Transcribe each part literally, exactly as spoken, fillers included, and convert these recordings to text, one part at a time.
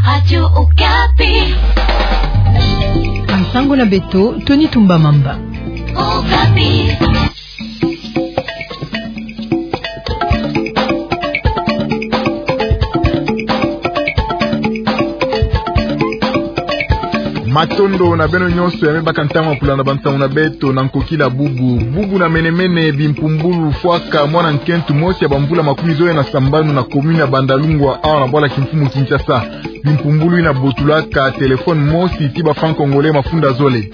Radio Okapi. Nsangu na beto, Tony Tumba Mamba. Okapi. Matondo na beno nyonso ya me baka ntangu ya kulanda bansangu na beto na nkokila bubu. Bubu na mene-mene, bimpumbulu fwaka mwana nkento mosi ya bamvula makumi zole na sambanu na commune ya Bandalungwa, awa na bwala kimfumu Kinshasa. Bimpumbulu yina botulaka téléphone mosi ti ba franc congolais mafunda zole.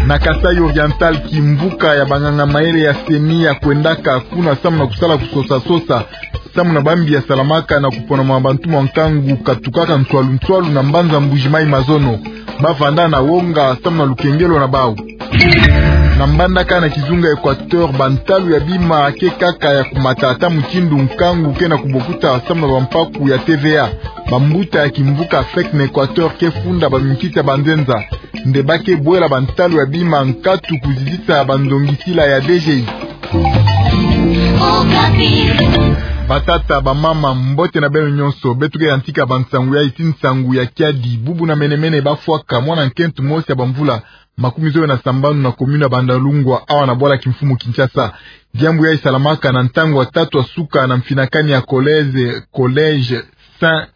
Na Kasaï Oriental, kimvuka ya banganga mayele ya CENI ya kwendaka kuna samu na kusala kusosa-sosa samu na bambi ya salamaka na kupona mwa bantu mwa nkangu katukaka nswalu-nswalu na mbanza Mbuji-Mayi mazono. Bavanda na wonga samu na lukengelo na bawu. Na mbandaka na kizunga Équateur, bantalu ya bima ke kaka ya kumata ata mutindu nkangu ke na kubokuta samu na bampaku ya T V A. Bambuta ya kimvuka FEC na Équateur ke funda baminkita banzenza nde ba ke bwela bantalu ya bima nkatu kuzizisa bandongisila ya D G I. Batata, bamama, mbote na beno nyonso. Beto ke yantika bansangu ya iti nsangu ya kiadi. Bubu na mene-mene, bafwaka mwana nkento mosi ya bamvula makumi zole na sambanu na commune ya Bandalungwa, awa na bwala kimfumu Kinshasa. Diambu yayi salamaka na ntangu ya tatu ya suka na mfinakani ya collège, collège Saint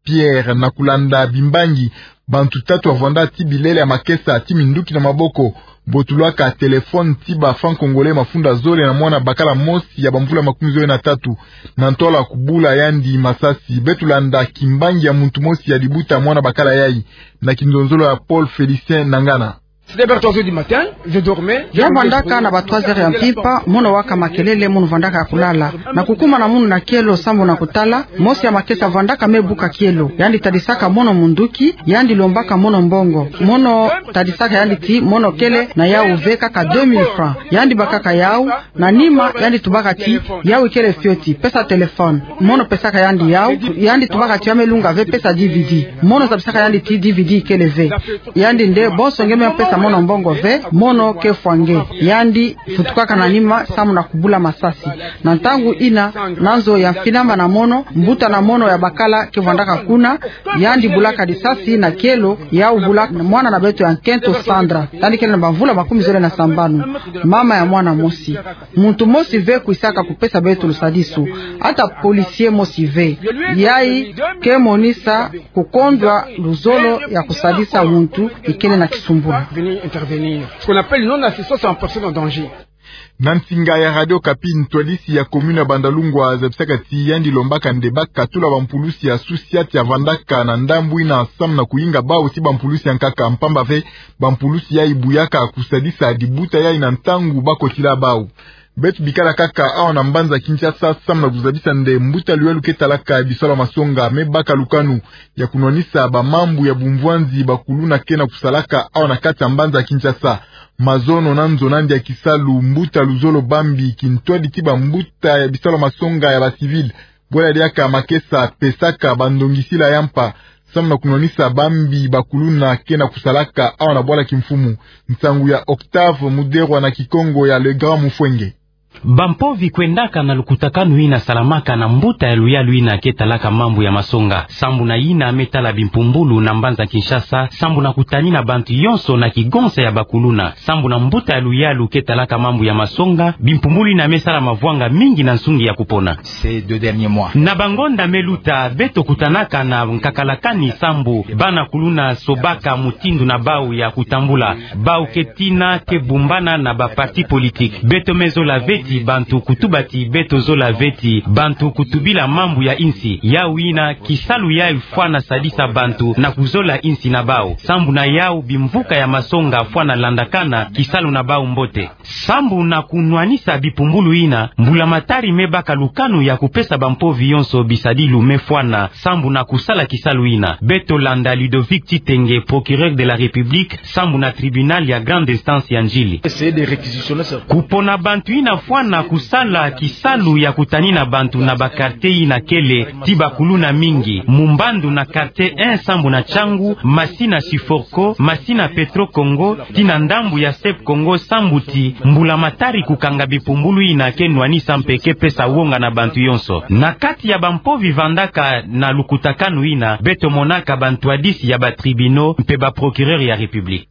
Pierre. Na kulanda bimbangi, bantu tatu bavanda ti bilele ya makesa ti minduki na maboko, botulaka téléphone ti ba franc congolais mafunda zole na mwana bakala mosi ya bamvula makumi zole na tatu, na ntwala kubula yandi masasi. Beto landa kimbangi ya muntu mosi ya dibuta mwana bakala yayi na kinzonzolo ya Paul Félicien Nangana. C'était vers trois heures du matin, je dormais. Yavandaka na ba trois heures ya mpimpa, mono waka makelele, mono vandaka ya kulala. Na kukuma na mono na kielo sambu na kutala, mosi ya makesa vandaka me buka kielo. Yandi tadisaka mono munduki, yandi lombaka mono mbongo. Mono tadisaka yandi ti mono kele na yawu ve kaka deux mille francs. Yandi bakaka yawu, na nima, yandi tubaka ti, yawu ikele fioti, pesa téléphone. Mono pesaka yandi yawu, yandi tubaka ti ya me lunga ve, pesa D V D. Mono zabisaka yandi ti D V D ikele ve. Yandi nde, bonso nge me pesa mono mbongo ve, mono ke fwa nge. Yandi vutukaka na nima, samu na kubula masasi. Na ntangu yina, na nzo ya mfinama na mono, mbuta na mono ya bakala ke vandaka kuna, yandi bulaka lisasi na kielo, yawu bula mwana na beto ya nkento Sandra. Yandi kele na bamvula makumi zole na sambanu. Mama ya mwana mosi. Muntu mosi ve kwisaka kupesa beto lusadisu. Ata policier mosi ve. Yayi ke monisa kukondwa luzolo ya kusadisa muntu ikele na kisumbulu. Ce qu'on appelle non-assistance en personne en danger. Na nsinga ya Radio Okapi, ntwadisi ya commune ya Bandalungwa zabisaka ti yandi lombaka nde ba katula bampulusi ya société ya vandaka na ndambu yina samu na kuyinga bawu ti bampulusi ya nkaka, mpamba ve bampulusi yayi buyaka kusadisa dibuta yayi na ntangu ba kotila bawu. Beto bikala kaka awa na mbanza Kinshasa samu na kuzabisa nde mbuta luyalu ke talaka bisalu ya masonga me baka lukanu ya kunwanisa bamambu ya bumvwanzi bakuluna ke na kusalaka awa na kati ya mbanza Kinshasa. Mazono na nzo na yandi ya kisalu, mbuta luzolo Bambi, kintwadi ti bambuta ya bisalu ya masonga ya ba civil, bwela diaka makesa, pesaka bandongisila ya mpa samu na kunwanisa bambi bakuluna ke na kusalaka awa na bwala kimfumu. Nsangu ya Octave Muderwa na Kikongo ya Le Grand Mufwenge. Bampovi kwendaka na lukutakanu yina salamaka na mbuta ya luyalu yina ke talaka mambu ya masonga, sambu na yina me tala bimpumbulu na mbanza Kinshasa, sambu na kutanina bantu yonso na kigonsa ya bakuluna. Sambu na mbuta ya luyalu ke talaka mambu ya masonga, bimpumbulu yina me sala mavwanga mingi na nsungi ya kupona. Ces deux derniers mois. Na bangonda me luta, beto kutanaka na nkakalakani sambu bana kuluna sobaka mutindu na bawu ya kutambula. Bawu ke tina ke bumbana na ba parti politique. Beto me zola ve ti bantu kutuba ti beto zola ve ti bantu kutubila mambu ya insi. Yawu yina kisalu yayi fwana sadisa bantu na kuzola insi na bawu. Sambu na yawu bimvuka ya masonga fwana landakana kisalu na bawu mbote. Sambu na kunwanisa bimpumbulu yina, mbulamatari me baka lukanu ya kupesa bampovi yonso bisadilu me fwana, sambu na kusala kisalu yina. Beto landa Ludovic Titenge, procureur de la République, sambu na tribunal ya grande instance ya Ndjili. Essayer de réquisitionner ça. Kupona bantu yina Bwana kusala kisalu ya kutanina bantu na ba quartier yina kele ti ba kuluna mingi. Mu mbandu na quartier un sambu na Changu, Masina Siforco, Masina Petro Congo, tii na ndambu ya Sep Congo sambu ti mbulamatari kukanga bipumbulu yina ke nwanisa mpe ke pesa wonga na bantu yonso. Na kati ya bampovi vandaka na lukutakanu yina, beto monaka bantwadisi ya ba tribunaux mpe ba procureur ya République.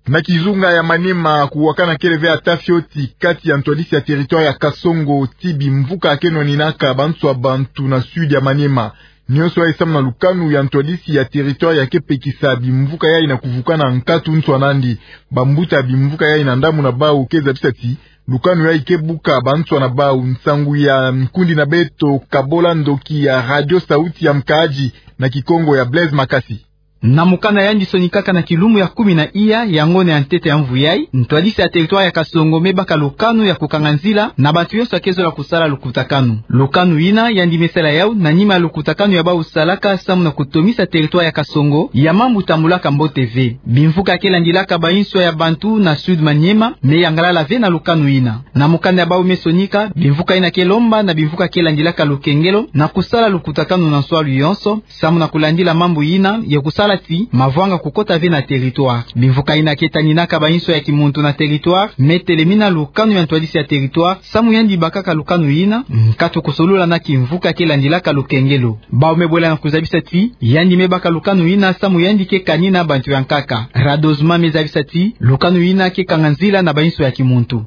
Na kizunga ya Maniema, kuwakana kele ve ata fioti kati ya ntwadisi ya territoire ya Kasongo tii bimvuka ke nwaninaka banswa bantu na sud ya Maniema. Nionso yayi samu na lukanu ya ntwadisi ya territoire ya ke pekisa bimvuka yayi na kuvukana nkatu nswa nandi. Bambuta bimvuka yayi na ndambu na bawu ke zabisa ti lukanu yayi ke buka banswa na bawu. Nsangu ya nkundi na beto Kabola Ndoki ya Radio Sauti ya Mkaaji na Kikongo ya Blaise Makasi. Na mokana yandi sonikaka na kilumbu ya kumi na iya ya ngonda ya ntete ya mvu yayi, ntwadisi ya territoire ya Kasongo me baka lukanu ya kukanga nzila na bantu yonso ya ke zola kusala lukutakanu. Lukanu yina yandi me sala yawu na nima ya lukutakanu ya bawu salaka samu na kutomisa territoire ya Kasongo ya mambu tambulaka mbote ve. Bimvuka ke landilaka banswa ya bantu na sud Maniema me yangalala ve na lukanu yina. Na mokana ya bawu me sonika, bimvuka yina ke lomba na bimvuka ke landilaka lukengelo na kusala lukutakanu na nswalu yonso, samu na kulandila mambu yina ya kusala ti mavwanga kukota ve na territoire. Bimvuka yina ke taninaka banswa ya kimuntu na territoire me telemina lukanu ya ntwadisi ya territoire samu yandi bakaka lukanu yina, nkatu kusolula na kimvuka ke landilaka lukengelo. Bawu me bwela na kuzabisa ti yandi me baka lukanu yina samu yandi ke kanina bantu ya nkaka. Radozma me zabisa ti lukanu yina ke kanga nzila na banswa ya kimuntu.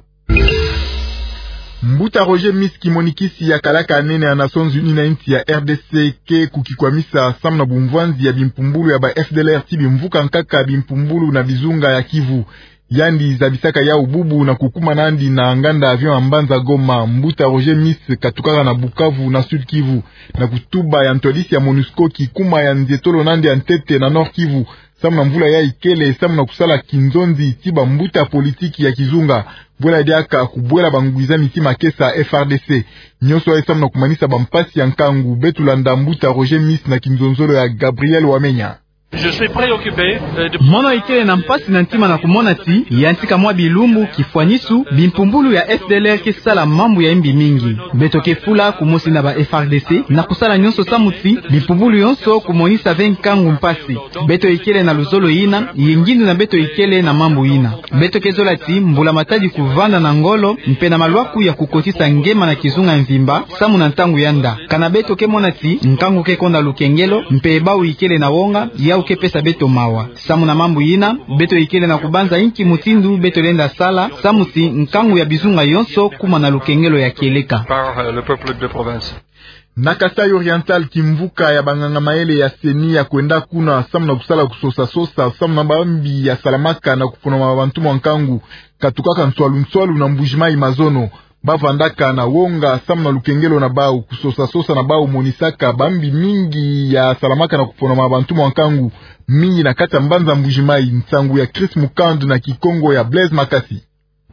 Mbuta Roger Miss, kimonikisi ya kalaka nene ya Nations Unies na insi ya R D C, ke kukikwamisa samu na bumvwanzi ya bimpumbulu ya ba F D L R tii bimvuka nkaka bimpumbulu na bizunga ya Kivu. Yandi zabisaka yawu bubu na kukuma nandi na nganda avion ya mbanza Goma. Mbuta Roger Miss katukaka na Bukavu, na Sud Kivu, na kutuba ya ntwadisi ya MONUSCO, kikuma ya nzietolo nandi ya ntete na Nord Kivu, samu na mvula yayi kele, samu na kusala kinzonzi tii bambuta politiki ya kizunga, bwela diaka kubwela bangwiza miti makesa F R D C. Nionso yayi samu na kumanisa bampasi ya nkangu. Beto landa mbuta Roger Miss na kinzonzolo ya Gabriel Wamenya. Je suis préoccupé, euh, de... Mono ikele na mpasi na ntima na kumona ti yantika mwa bilumbu, kifwanisu, bimpumbulu ya F D L R ke sala mambu ya imbi mingi. Beto ke fula kumosi na ba F R D C na kusala nionso samu ti bimpumbulu yonso kumonisa ve nkangu mpasi. Beto ikele na luzolo yina, ye ngindu na beto ikele na mambu yina. Beto ke zola ti mbulamatadi kuvanda na ngolo mpe na malwaku ya kukotisa ngema na kizunga mvimba, samu na ntangu ya nda. Kana beto ke mona ti nkangu ke konda lukengelo, mpe bawu ikele na wonga, yawu ke pesa beto mawa. Samu na mambu yina, beto ikele na kubanza inki mutindu beto lenda sala, samu ti nkangu ya bizunga yonso kuma na lukengelo ya kieleka. Par, euh, le peuple de province. Na Kasaï Oriental, kimvuka ya banganga mayele ya CENI ya kwenda kuna samu na kusala kusosa-sosa samu na bambi ya salamaka na kuponama bantu mwa nkangu katukaka nswalu-nswalu na Mbuji-Mayi mazono. Bavandaka na wonga samu na lukengelo na bawu. Kusosa-sosa na bawu monisaka bambi mingi ya salamaka na kuponama bantu mwa nkangu, mingi na kati ya mbanza Mbuji-Mayi. Nsangu ya Chris Mukandu na Kikongo ya Blaise Makasi.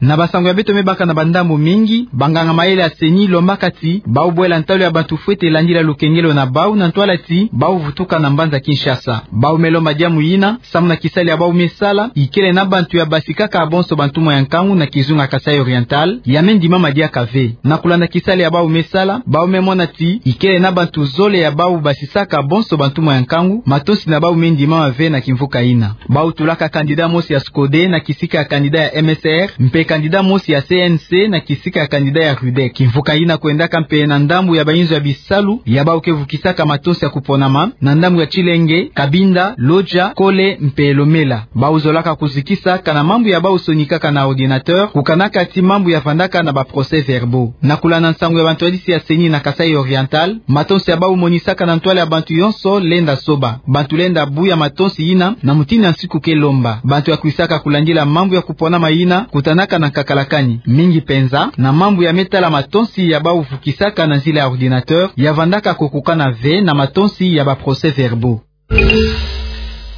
Na bansangu ya beto me baka na bandambu mingi, banganga mayele ya CENI lombaka ti bawu bwela ntalu ya bantu fwete landila lukengelo na bawu na ntwala ti bawu vutuka na mbanza Kinshasa. Bawu me lomba diamu yina samu na kisalu ya bawu me sala ikele na bantu ya basikaka bonso bantu mwa ya nkangu na kizunga Kasaï Oriental, ya me ndimama diaka ve. Na kulanda kisalu ya bawu me sala, bawu me mona ti ikele na bantu zole ya bawu basisaka bonso bantu mwa ya nkangu, matonsi na bawu me ndimama ve na kimvuka yina. Bawu tulaka candidat mosi ya SCODE na kisika ya candidat ya MSR, mpe candidat mosi ya CNC na kisika ya candidat ya RUDEC. Kimvuka yina kwendaka mpe na ndambu ya bainzo ya bisalu ya bawu ke vukisaka matonsi ya kuponama, na ndambu ya Tshilenge, Cabinda, Lodja, Kole mpe Lomela. Bawu zolaka kuzikisa kana mambu ya bawu sonikaka na ordinateur, kukanaka ti mambu ya vandaka na ba procès-verbaux. Na kulanda nsangu ya bantwadisi ya CENI na Kasaï Oriental, matonsi ya bawu monisaka na ntwala ya bantu yonso lenda soba. Bantu lenda buya matonsi yina na mutindu ya nsiku ke lomba. Bantu ya kwisaka kulandila mambu ya kuponama yina kutanaka na nkakalakani, mingi penza na mambu ya me tala matonsi ya bawu vukisaka na nzila ya ordinateur, ya vandaka kokokana ve na matonsi ya ba procès-verbaux.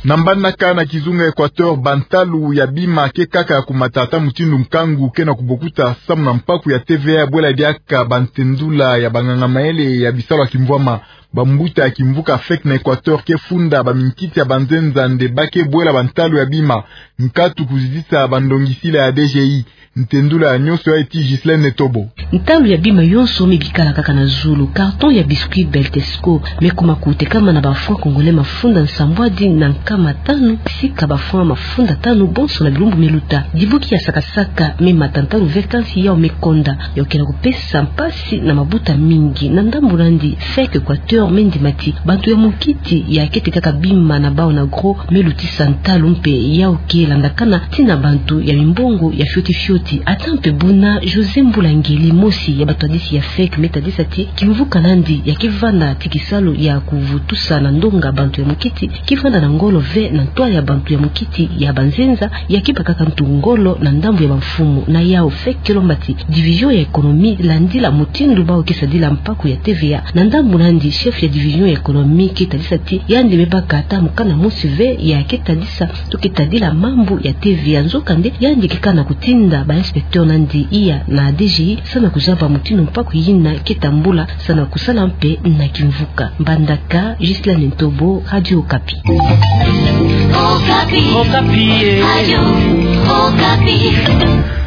Na mbanaka na kizunga Equateur, bantalu ya bima ke kaka ya kumata, ata mutindu nkangu ke na kubokuta samu na mpaku ya TVA ya bwela diaka bantendula ya banganga mayele ya bisalu ya kimvwama. Bambuta ya kimvuka fek na Equateur ke funda baminkiti ya banzenza nde ba ke bwela bantalu ya bima, nkatu kuzidisa bandongisila ya D G I. Ntendula ya nionso ya eti Ghislaine Netobo. Ntalu ya bima yonso me bikala kaka na zulu. Carton ya biscuit Beltesco me kuma kutekama na ba francs congolais mafunda nsambwadi na nkama tanu, sika ba francs mafunda tanu bonso na bilumbu me luta. Dibuki ya sakasaka me mata ntalu ve kansi yau me konda, ya kukena kupesa mpasi na mabuta mingi. Na ndambu nandi, fek Equateur me ndima ti bantu ya mukiti ya keti kaka bima na bau na gros me lutisa ntalu mpe yau ke landakana tii na bantu ya mimbongo ya fioti fioti. Ata mpe buna, José Mbulangeli, mosi ya batwadisi ya fek, me tadisa ti kimvuka nandi ya ke vanda ti kisalu ya kuvutusa na ndonga bantu ya mukiti, ke vanda na ngolo ve na ntwala ya bantu ya mukiti ya banzenza, ya ke bakaka ntu ngolo na ndambu ya bamfumu. Na yau fek ke lomba ti division ya économie landila mutindu bau ke sadila mpaku ya T V A. Na ndambu nandi, chef ya division ya économie ke tadisa ti yandi me baka ata mukanda mosi ve ya ke tadisa to ke tadila mambu ya T V A. Nzokande, yandi ke kana kutinda ba inspecteur nandi iya na D G I, samu na kuzaba mutindu mpaku yina ke tambula, samu na kusala mpe na kimvuka. Mbandaka, Ghislaine Ntobo, Radio Okapi. Okapi. Okapi, eh. Radio Okapi.